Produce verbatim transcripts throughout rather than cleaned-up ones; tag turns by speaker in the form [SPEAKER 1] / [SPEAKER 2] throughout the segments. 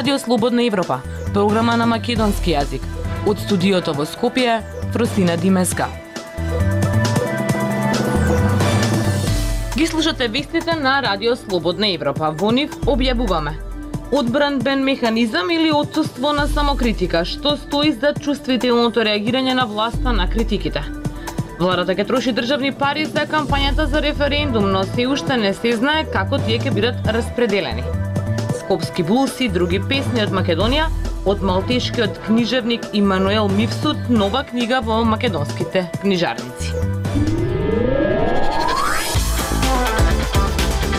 [SPEAKER 1] Радио Слободна Европа, програма на македонски јазик. Од студиото во Скопје, Фростина Димеска. Ги слушате вестите на Радио Слободна Европа. Во нив објавуваме одбранбен механизам или отсуство на самокритика, што стои за чувствителното реагирање на власта на критиките. Владата ќе троши државни пари за кампањата за референдум, но се уште не се знае како тие ќе бидат распределени. Скопски блуз и други песни од Македонија, од малтешкиот книжевник Имануел Мивсут, нова книга во македонските книжарници.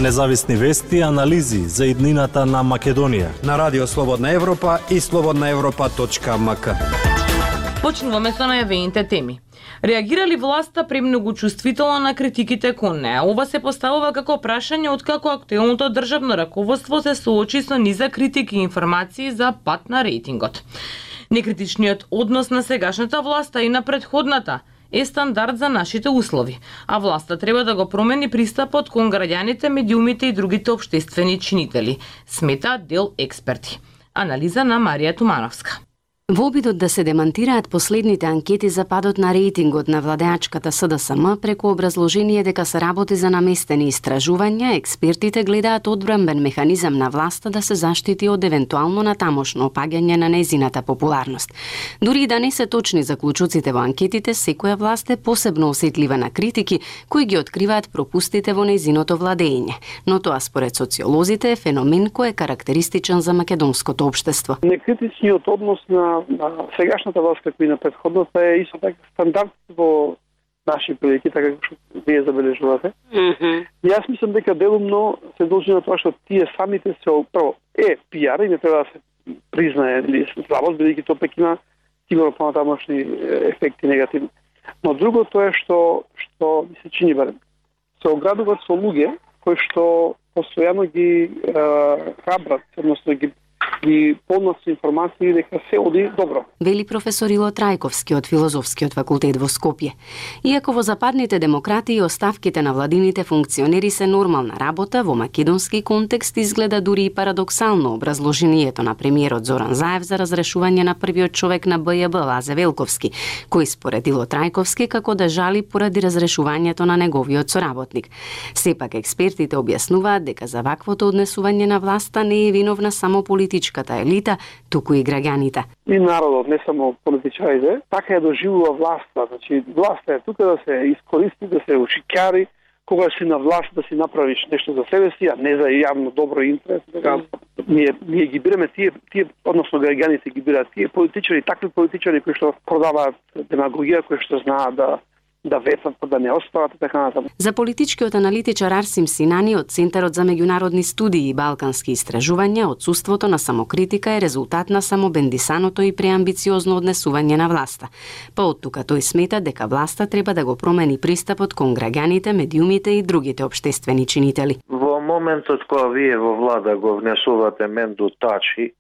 [SPEAKER 2] Независни вести и анализи за иднината на Македонија
[SPEAKER 3] на Радио Слободна Европа и слободна европа точка ем ка.
[SPEAKER 1] Почнуваме со најавените теми. Реагира ли власта премногу чувствително на критиките кон неа? Ова се поставува како прашање откако актуелното државно раководство се соочи со низа критики и информации за пат на рейтингот. Некритичниот однос на сегашната власта и на претходната е стандард за нашите услови, а власта треба да го промени пристапот кон граѓаните, медиумите и другите општествени чинители, смета дел експерти. Анализа на Марија Тумановска.
[SPEAKER 4] Во обидот да се демантираат последните анкети за падот на рейтингот на владеачката С Д С М преку образложение дека се работи за наместени истражувања, експертите гледаат одбранбен механизам на власта да се заштити од евентуално натамошно опаѓање на незината популарност. Дури и да не се точни заклучоците во анкетите, секоја власт е посебно осетлива на критики кои ги откриваат пропустите во незиното владење. Но тоа според социолозите е феномен кој е карактеристичен за македонското општество.
[SPEAKER 5] Некритичниот однос на на сегашната власт како и на претходната е исто така стандард во наши прилики, така како што вие забележувате. Mm-hmm. Јас мислам дека делумно се должи на тоа што тие самите се прво е пиар и не треба да се признае или слабост, бидејќи тоа пак има сигурно понатамошни ефекти негативни. Но другото е што што ми се чини барем се оградуваат со луѓе кои што постојано ги е, храбрат, односно ги и полност информации дека се оди добро.
[SPEAKER 4] Вели професор Ило Трајковски од Филозофскиот факултет во Скопје. Иако во западните демократии оставките на владините функционери се нормална работа, во македонски контекст изгледа дури и парадоксално образложението на премиерот Зоран Заев за разрешување на првиот човек на Б Ј Б Лазе Велковски, кој според Ило Трајковски како да жали поради разрешувањето на неговиот соработник. Сепак експертите објаснуваат дека за ваквото однесување на власта не е виновна само политичката елита, туку и граѓаните.
[SPEAKER 5] И народот, не само политичарите, така е доживува власта. Значи, власта е тука да се искористи, да се ушикари, кога си на власт да си направиш нешто за себе си, а не за јавно добро интерес. Така, ние, ние ги бираме тие, тие, односно граѓаните ги бираат тие политичари, такви политичари кои што продаваат демагогија, кои што знаат да да ветат, да не остават и така натаму.
[SPEAKER 4] За политичкиот аналитичар Арсим Синани од Центарот за меѓународни студии и балкански истражувања, отсуството на самокритика е резултат на самобендисаното и преамбициозно однесување на власта. Па од тука тој смета дека власта треба да го промени пристапот кон граѓаните, медиумите и другите општествени чинители.
[SPEAKER 6] Во моментот кога вие во влада го внесувате Менду Тачи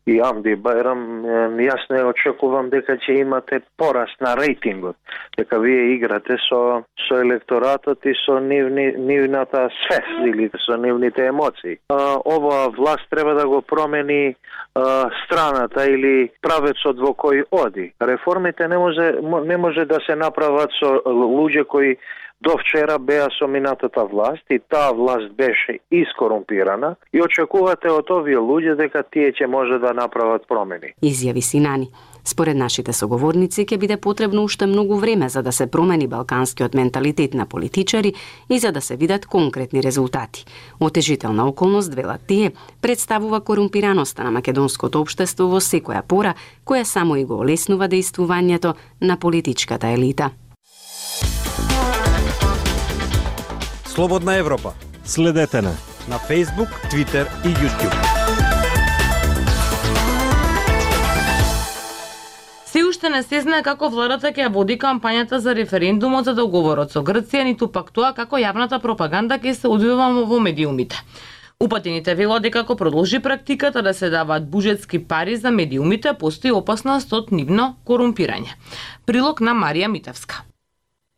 [SPEAKER 6] и Амди Байрам, јас не очекувам дека ќе имате пораст на рейтингот, дека вие играте со со електоратот и со нивни, нивната свест или со нивните емоции. А, ова власт треба да го промени а, страната или правецот во кој оди. Реформите не може не може да се направат со луѓе кои до вчера беа со минатата власт и таа власт беше искорумпирана и очекувате од овие луѓе дека тие ќе може да направат промени.
[SPEAKER 4] Изјави Синани. Според нашите соговорници ќе биде потребно уште многу време за да се промени балканскиот менталитет на политичари и за да се видат конкретни резултати. Отежителна околност, велат тие, представува корумпираноста на македонското општество во секоја пора, која само и го олеснува дејствувањето на политичката елита.
[SPEAKER 3] Слободна Европа.
[SPEAKER 2] Следете на
[SPEAKER 3] на Facebook, Twitter и YouTube.
[SPEAKER 1] Се уште не се знае како владата ќе води кампањата за референдумот за договорот со Грција, ниту пак тоа како јавната пропаганда ќе се одвива во медиумите. Упатените велат дека ако продолжи практиката да се даваат буџетски пари за медиумите, постои опасност од нивно корумпирање. Прилог на Марија Митевска.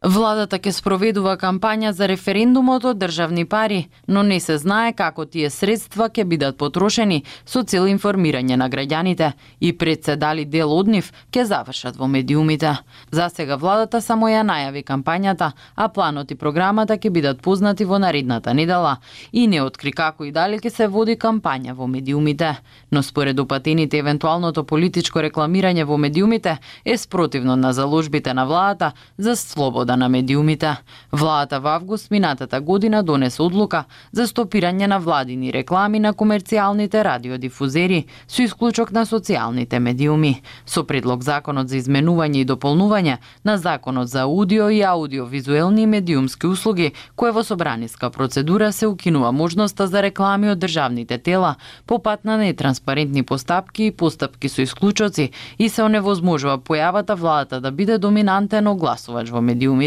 [SPEAKER 7] Владата ќе спроведува кампања за референдумот од државни пари, но не се знае како тие средства ќе бидат потрошени со цел информирање на граѓаните и пред се дали дел од нив ќе завршат во медиумите. За сега владата само ја најави кампањата, а планот и програмата ќе бидат познати во наредната недела и не откри како и дали ќе се води кампања во медиумите. Но според упатените евентуалното политичко рекламирање во медиумите е спротивно на заложбите на владата за слобода на медиумите. Владата во август минатата година донесе одлука за стопирање на владини реклами на комерцијалните радиодифузери со исклучок на социјалните медиуми. Со предлог законот за изменување и дополнување на законот за аудио и аудиовизуелни медиумски услуги, кој во собраниска процедура се укинува можноста за реклами од државните тела по пат на нетранспарентни постапки и постапки со исклучоци и се оневозможува појавата владата да биде доминантен огласувач во медиумите.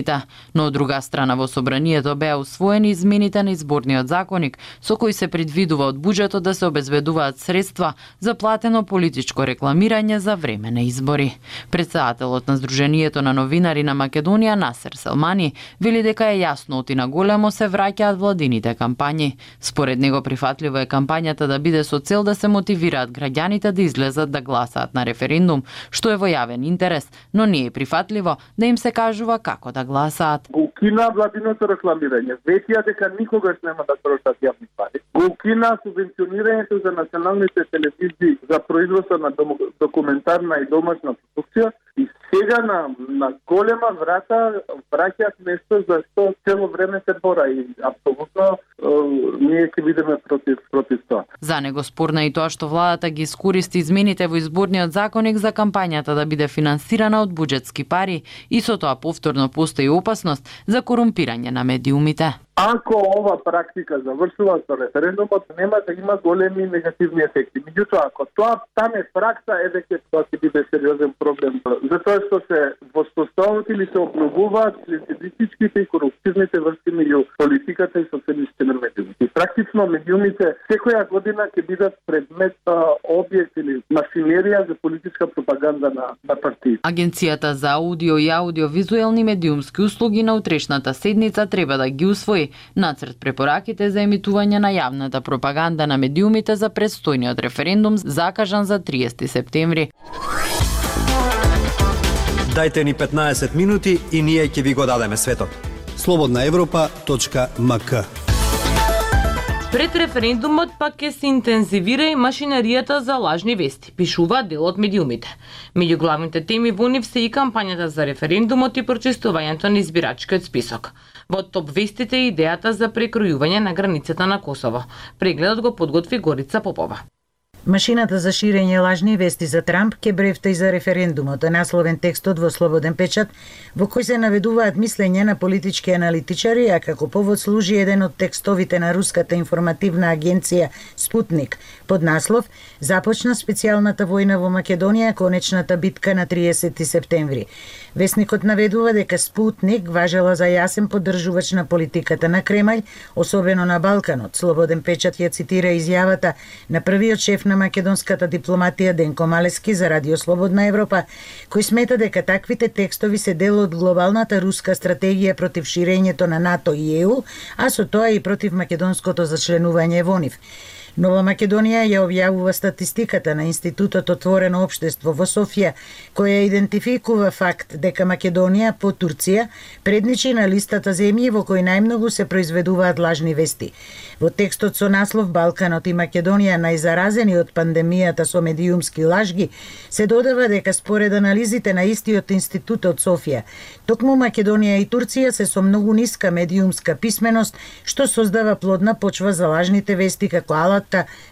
[SPEAKER 7] Но од друга страна во собранието беа усвоени измените на изборниот законник со кои се предвидува од буџетот да се обезбедуваат средства за платено политичко рекламирање за време на избори. Претседателот на Сдруженијето на новинари на Македонија Насер Селмани вели дека е јасно оти на големо се враќаат владините кампањи. Според него прифатливо е кампањата да биде со цел да се мотивираат граѓаните да излезат да гласаат на референдум, што е во јавен интерес, но не е прифатливо да им се кажува како да гласаат.
[SPEAKER 8] Го укина владиното рекламирање, ветија дека никогаш нема да трошат јавни пари. Го укина субвенционирањето за националните телевизии за производство на документарна и домашна продукција и сега на, на голема врата враќаат нешто за што цело време се бора и апсолутно е, ние ќе бидеме против, против тоа.
[SPEAKER 7] За него спорна и тоа што владата ги искористи измените во изборниот законник за кампањата да биде финансирана од буџетски пари и со тоа повторно постои опасност за корумпирање на медиумите.
[SPEAKER 8] Ако ова практика завршува со референдумот, нема да има големи негативни ефекти. Меѓутоа, ако тоа стане пракса, е дека тоа ќе биде сериозен проблем. Затоа што се воспоставуваат или се обновуваат клиентелистичките и корупционите врски меѓу политиката и социјалистите на медиумите. И практично медиумите секоја година ќе бидат предмет објект или машинерија за политичка пропаганда на, на партии.
[SPEAKER 7] Агенцијата за аудио и аудиовизуелни медиумски услуги на утрешната седница треба да ги усвои нацрт препораките за емитување на јавната пропаганда на медиумите за предстојниот референдум закажан за триесети септември.
[SPEAKER 3] Дајте ни петнаесет минути и ние ќе ви го дадеме светот.
[SPEAKER 9] слободна европа точка ем ка.
[SPEAKER 1] Пред референдумот пак ќе се интензивира и машинаријата за лажни вести, пишува дел од медиумите. Меѓу главните теми во нив се и кампањата за референдумот и прочистувањето на избирачкиот список. Во топ вестите е идејата за прекројување на границата на Косово. Прегледот го подготви Горица Попова.
[SPEAKER 10] Машината за ширење лажни вести за Трамп ке брефта и за референдумот, е насловен текстот во Слободен печат, во кој се наведуваат мислење на политички аналитичари, а како повод служи еден од текстовите на руската информативна агенција Спутник, под наслов "Започна специјалната војна во Македонија, конечната битка на триесети септември". Весникот наведува дека Спутник важела за јасен поддржувач на политиката на Кремљ, особено на Балканот. Слободен печат ја цитира изјавата на првиот шеф на македонската дипломатија Денко Малески за Радио Слободна Европа, кој смета дека таквите текстови се дел од глобалната руска стратегија против ширењето на НАТО и Е У, а со тоа и против македонското зачленување во нив. Нова Македонија ја објавува статистиката на Институтот Отворено општество во Софија, која идентификува факт дека Македонија по Турција предничи на листата земји во кои најмногу се произведуваат лажни вести. Во текстот со наслов "Балканот и Македонија најзаразени од пандемијата со медиумски лажги" се додава дека според анализите на истиот институт од Софија, токму Македонија и Турција се со многу ниска медиумска писменост, што создава плодна почва за лажните вести како алат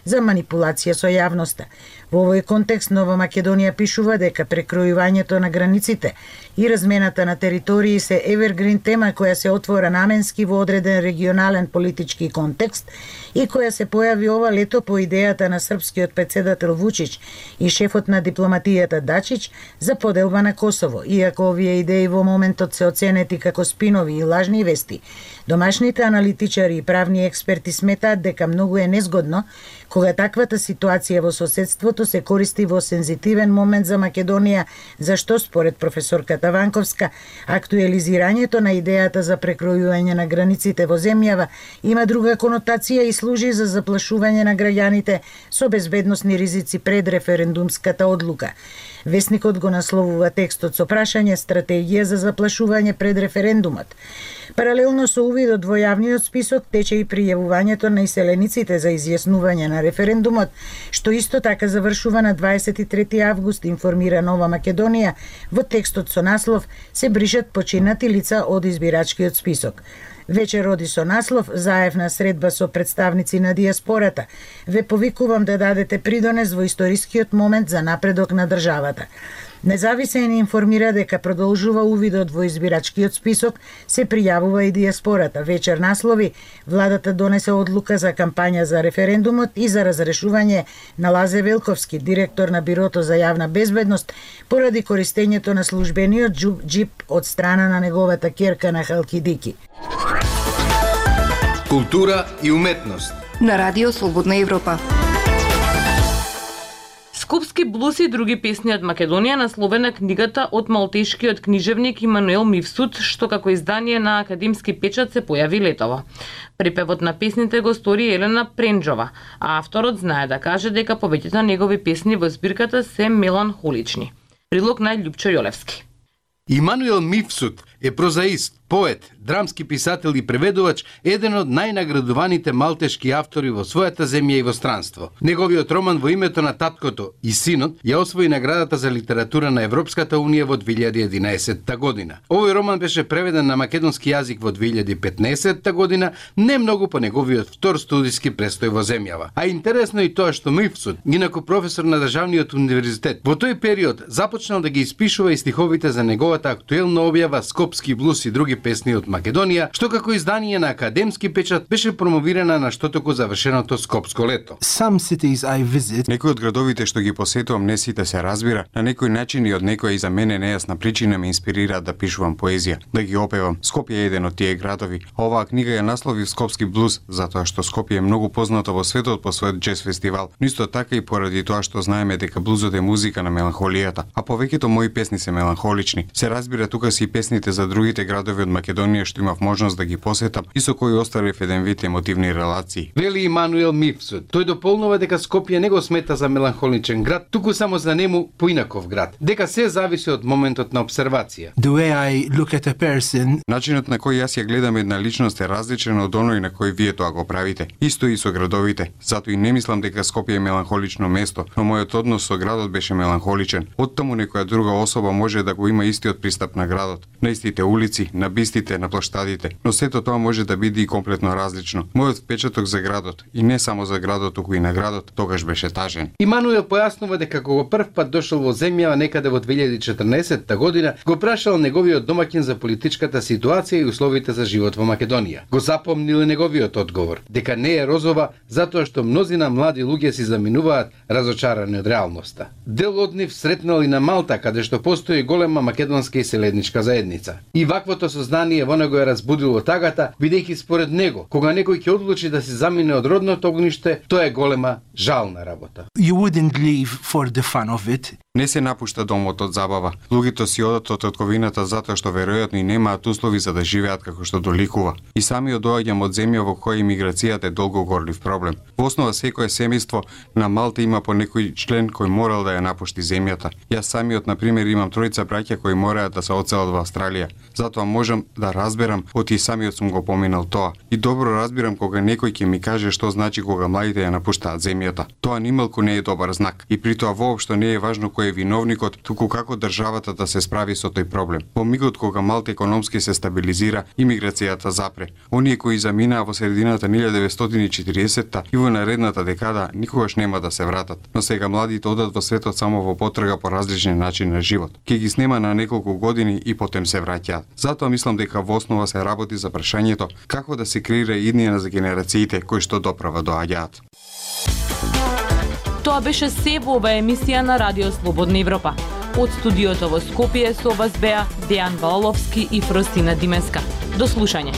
[SPEAKER 10] за манипулација со јавноста. Во овој контекст Нова Македонија пишува дека прекројувањето на границите и размената на територии се евергрин тема која се отвора наменски во одреден регионален политички контекст и која се појави ова лето по идејата на српскиот претседател Вучич и шефот на дипломатијата Дачич за поделба на Косово, иако овие идеи во моментот се оценети како спинови и лажни вести. Домашните аналитичари и правни експерти сметаат дека многу е незгодно Кога таквата ситуација во соседството се користи во сензитивен момент за Македонија, зашто според професорката Ванковска, актуализирањето на идејата за прекројување на границите во земјава има друга конотација и служи за заплашување на граѓаните со безбедносни ризици пред референдумската одлука. Весникот го насловува текстот со прашање стратегија за заплашување пред референдумот. Паралелно со увидот во јавниот список тече и пријавувањето на иселениците за изјаснување на референдумот, што исто така завршува на дваесет и трети август, информира Нова Македонија. Во текстот со наслов се бришат починати лица од избирачкиот список. Вечер оди со наслов заедна средба со представници на диаспората. Ве повикувам да дадете придонес во историскиот момент за напредок на државата. Независен информира дека продолжува увидот во избирачкиот список, се пријавува и диаспората. Вечер наслови владата донесе одлука за кампања за референдумот и за разрешување на Лазе Велковски, директор на Бирото за јавна безбедност, поради користењето на службениот џип од страна на неговата ќерка на Халкидики.
[SPEAKER 11] Култура и уметност
[SPEAKER 12] на Радио Слободна Европа.
[SPEAKER 1] Скопски блуз и други песни од Македонија насловена книгата од малтешкиот книжевник Имануел Мивсут, што како издание на академски печат се појави летово. Припевот на песните го стори Елена Пренџова, а авторот знае да каже дека повеќето негови песни во збирката се меланхолични. Прилог на Љупчо Јолевски.
[SPEAKER 11] Имануел Мивсут е прозаист, поет, драмски писател и преведувач, еден од најнаградуваните малтешки автори во својата земја и во странство. Неговиот роман Во името на таткото и синот ја освои наградата за литература на Европската унија во две илјади и единаесетта година. Овој роман беше преведен на македонски јазик во две илјади и петнаесетта година, не многу по неговиот втор студиски престој во земјава. А интересно и тоа што Мивсут, инаку професор на државниот универзитет, во тој период започнал да ги испишува и стиховите за неговата актуелна објава Скопски блуз и други песни од Македонија, што како издание на академски печат беше промовирана на штотоку завршеното Скопско лето.
[SPEAKER 13] Some cities I visit.
[SPEAKER 14] Некои од градовите што ги посетувам не сите се разбира, на некој начин и од некоја и за мене нејасна причина ме инспирираат да пишувам поезија, да ги опевам. Скопје е еден од тие градови. Оваа книга ја насловив Скопски блуз, затоа што Скопје е многу познато во светот по својот џез фестивал, но исто така и поради тоа што знаеме дека блузот е музика на меланхолијата, а повеќето мои песни се меланхолични. Се разбира тука си и песните за другите градови од Македонија што имав можност да ги посетам и со кои оставив еден вид емотивни релации.
[SPEAKER 11] Вели Имануел Мивсут. Тој дополнува дека Скопје не го смета за меланхоличен град, туку само за нему поинаков град. Дека се зависи од моментот на обсервација.
[SPEAKER 13] The way I look at a person.
[SPEAKER 14] Начинот на кој јас ја гледам една личност е различен од оној на кој вие тоа го правите. Исто и со градовите. Затоа и не мислам дека Скопје е меланхолично место, но мојот однос со градот беше меланхоличен. Оттаму некоја друга особа може да го има истиот пристап на градот, на истите улици, на бистите, на плоштадите, но сето тоа може да биде и комплетно различно. Мојот впечаток за градот, и не само за градот, туку и на градот, тогаш беше тажен.
[SPEAKER 11] Имануел појаснува дека кога прв пат дошол во земјава некаде во две илјади и четрнаесетта година, го прашал неговиот домаќин за политичката ситуација и условите за живот во Македонија. Го запомнил неговиот одговор, дека не е розова, затоа што мнозина млади луѓе си заминуваат разочарани од реалноста. Дел од нив сретнал и на Малта, каде што постои голема македонска иселедничка заедница. И ваквото сознание во него е разбудило тагата, бидејќи според него, кога некој ќе одлучи да се замине од родното огниште, тоа е голема жална работа.
[SPEAKER 13] You wouldn't leave for the fun of it.
[SPEAKER 14] Не се напушта домот од забава. Луѓето си одат од татковината затоа што веројатно и немаат услови за да живеат како што доликува. И сами доаѓам од земја во која имиграцијата е долго горлив проблем. Во основа секое семејство на Малта има по некој член кој морал да ја напушти земјата. Јас самиот на пример имам тројца браќа кои мораат да се одселат во Австралија. Затоа можам да разберам, оти самиот сум го поминал тоа. И добро разбирам кога некој ќе ми каже што значи кога младите ја напуштаат земјата. Тоа нималку не е добар знак. И при тоа воопшто не е важно кој е виновникот, туку како државата да се справи со тој проблем. Во мигот кога Малта економски се стабилизира, имиграцијата запре. Оние кои заминаа во средината на илјада деветстотини и четириесетта и во наредната декада никогаш нема да се вратат. Но сега младите одат во светот само во потрага по различни начини на живот. Ке ги снема на неколку години и потем се враќаат. Затоа мислам дека во основа се работи за прашањето како да се креира иднина за генерациите кои што доправа доаѓаат.
[SPEAKER 1] Тоа беше се во оваа емисија на Радио Слободна Европа. Од студиото во Скопје со вас беа Дејан Балаловски и Фростина Димеска. До слушање.